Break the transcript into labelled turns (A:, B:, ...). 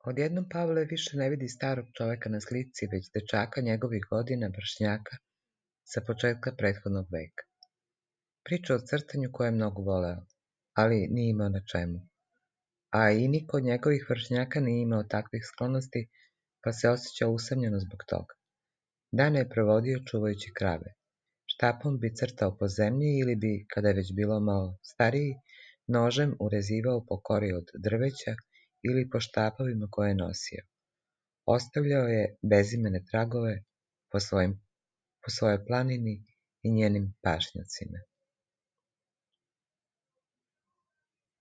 A: Odjednom Pavle više ne vidi starog čoveka na slici, već dečaka njegovih godina, vršnjaka, sa početka prethodnog veka. Priča o crtanju koje je mnogo voleo, ali nije imao na čemu. A i niko od njegovih vršnjaka nije imao takvih sklonosti, pa se osjećao usamljeno zbog toga. Dane je provodio čuvajući krave. Štapom bi crtao po zemlji ili bi, kada je već bilo malo stariji, nožem urezivao po kori od drveća ili po štapovima koje je nosio. Ostavljao je bezimene tragove po svojoj planini i njenim pašnjacima.